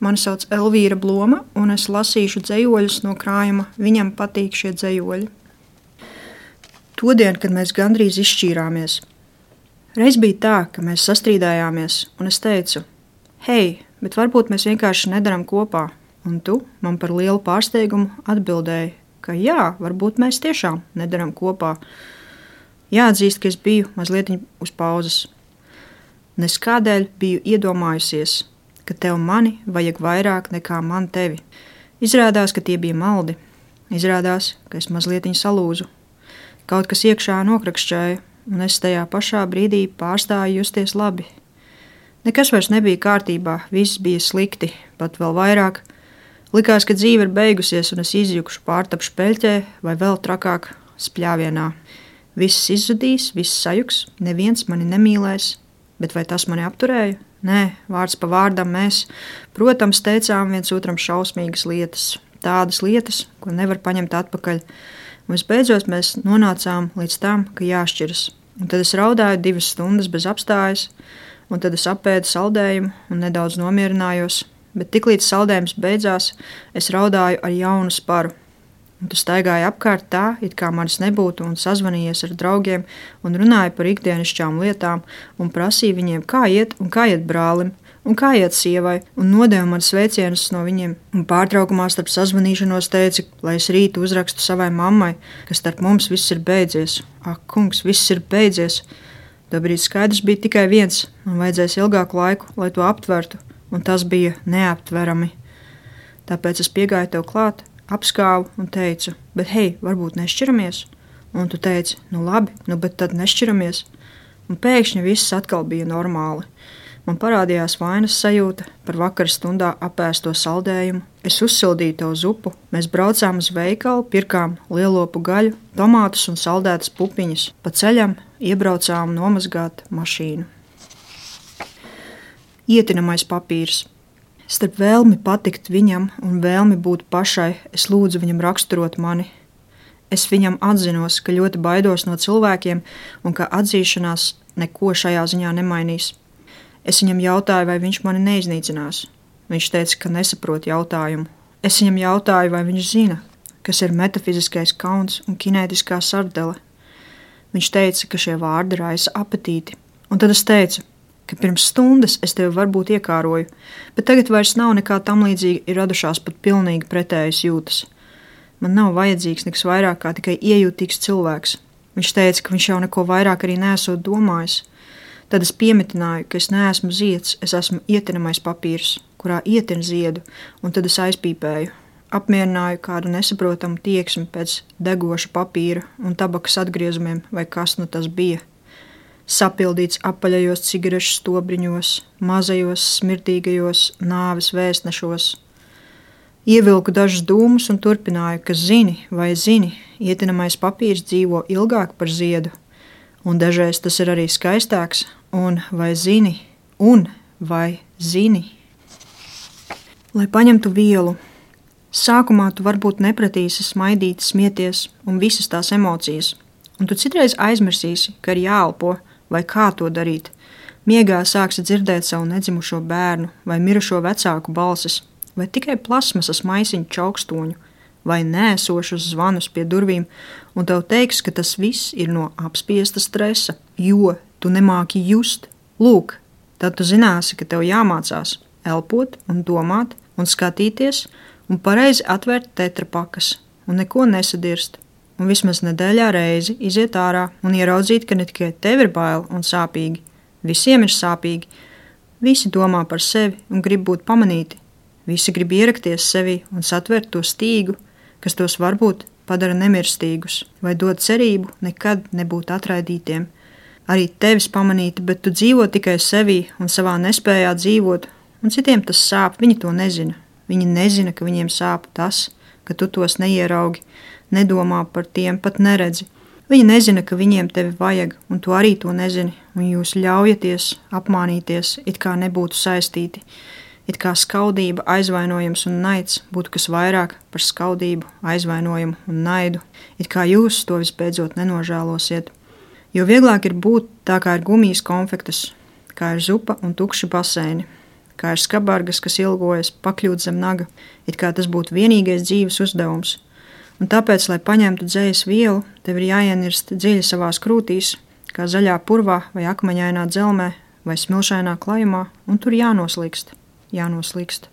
Mani sauc Elvīra Bloma, un es lasīšu dzejoļus no krājuma Viņam patīk šie dzejoļi. Todien, kad mēs gandrīz izšķīrāmies. Reiz bija tā, ka mēs sastrīdējāmies, un es teicu, hei, bet varbūt mēs vienkārši nedaram kopā, un tu man par lielu pārsteigumu atbildēji, ka jā, varbūt mēs tiešām nedaram kopā. Jāatzīst, ka es biju mazliet uz pauzes. Nes kādēļ biju iedomājusies, ka tev mani vajag vairāk nekā man tevi. Izrādās, ka tie bija maldi. Izrādās, ka es mazliet salūzu. Kaut kas iekšā nokrakšķēja, un es tajā pašā brīdī pārstāju justies labi. Nekas vairs nebija kārtībā, viss bija slikti, pat vēl vairāk. Likās, ka dzīve ir beigusies, un es izjukšu pārtapšu peļķē vai vēl trakāk spļāvienā. Viss izzudīs, viss sajuks, neviens mani nemīlēs, bet vai tas mani apturēja? Nē, vārds pa vārdam mēs, protams, teicām viens otram šausmīgas lietas, tādas lietas, ko nevar paņemt atpakaļ. Un visbeidzot mēs nonācām līdz tam, ka jāšķiras. Un tad es raudāju 2 stundas bez apstājas, un tad es apēdu saldējumu un nedaudz nomierinājos, bet tiklīdz saldējums beidzās, es raudāju ar jaunu sparu. Un tu staigāji apkārt tā, it kā manis nebūtu, un sazvanījies ar draugiem un runāji par ikdienišķām lietām un prasīja viņiem, kā iet brālim, un kā iet sievai, un nodeva man sveicienus no viņiem. Un pārtraukumā starp sazvanīšanos teica, lai es rīt uzrakstu savai mammai, ka starp mums viss ir beidzies. Ak, kungs, viss ir beidzies. Tobrīd skaidrs bija tikai viens, man vajadzēs ilgāku laiku, lai to aptvertu, un tas bija neaptverami. Tāpēc es piegāju tev klāt, apskāvu un teicu, bet hei, varbūt nešķiramies? Un tu teici, nu labi, bet tad nešķiramies. Un pēkšņi viss atkal bija normāli. Man parādījās vainas sajūta par vakara stundā apēsto saldējumu. Es uzsildīju tev zupu, mēs braucām uz veikalu, pirkām lielopu gaļu, tomātus un saldētas pupiņas. Pa ceļam iebraucām nomazgāt mašīnu. Ietinamais papīrs. Starp vēlmi patikt viņam un vēlmi būt pašai, es lūdzu viņam raksturot mani. Es viņam atzinos, ka ļoti baidos no cilvēkiem un ka atzīšanās neko šajā ziņā nemainīs. Es viņam jautāju, vai viņš mani neiznīcinās. Viņš teica, ka nesaprot jautājumu. Es viņam jautāju, vai viņš zina, kas ir metafiziskais kauns un kinētiskā sardele. Viņš teica, ka šie vārdi raisa apetīti. Un tad es teicu, ka pirms stundas es tevi varbūt iekāroju, bet tagad vairs nav nekā tam līdzīga, ir radušās pat pilnīgi pretējas jūtas. Man nav vajadzīgs nekas vairāk kā tikai iejūtīgs cilvēks. Viņš teica, ka viņš jau neko vairāk arī neesot domājis. Tad es piemetināju, ka es neesmu zieds, es esmu ietinamais papīrs, kurā ietin ziedu, un tad es aizpīpēju. Apmierināju kādu nesaprotamu tieksmi pēc degoša papīra un tabakas atgriezumiem, vai kas nu tas bija. Sapildīts apaļajos cigarešu stobriņos, mazajos, smirdīgajos nāves vēstnešos. Ievilku dažus dūmus un turpināju, ka zini, ietinamais papīrs dzīvo ilgāk par ziedu, un dažreiz tas ir arī skaistāks, un vai zini. Lai paņemtu vielu. Sākumā tu varbūt nepratīsi smaidīt, smieties un visas tās emocijas, un tu citreiz aizmirsīsi, ka ir jāelpo, vai kā to darīt. Miegā sāksi dzirdēt savu nedzimušo bērnu vai mirušo vecāku balsis, vai tikai plasmasas maisiņu čaukstoņu, vai nēsošus zvanus pie durvīm, un tev teiks, ka tas viss ir no apspiesta stresa, jo tu nemāki just. Lūk, tad tu zināsi, ka tev jāmācās elpot un domāt un skatīties un pareizi atvērt tetrapakas un neko nesadirst. Un vismaz nedēļā reizi iziet ārā un ieraudzīt, ka ne tikai tev ir bail un sāpīgi, visiem ir sāpīgi. Visi domā par sevi un grib būt pamanīti. Visi grib ierakties sevi un satvert to stīgu, kas tos varbūt padara nemirstīgus, vai dod cerību nekad nebūt atraidītiem. Arī tevis pamanīti, bet tu dzīvo tikai sevī un savā nespējā dzīvot, un citiem tas sāp, viņi to nezina. Viņi nezina, ka viņiem sāp tas, ka tu tos neieraugi, nedomā par tiem, pat neredzi. Viņi nezina, ka viņiem tevi vajag, un tu arī to nezini, un jūs ļaujaties apmānīties, it kā nebūtu saistīti, it kā skaudība, aizvainojums un naids būtu kas vairāk par skaudību, aizvainojumu un naidu, it kā jūs to visbeidzot nenožēlosiet. Jo vieglāk ir būt tā, kā ir gumijas konfektes, kā ir zupa un tukši baseini, kā ir skabargas, kas ilgojas pakļūt zem naga, it kā tas būtu vienīgais dzīves uzdevums. Un tāpēc, lai paņemtu dzējas vielu, tev ir jāienirst dziļi savās krūtīs, kā zaļā purvā vai akmeņainā dzelmē vai smilšainā klajumā, un tur jānoslīkst.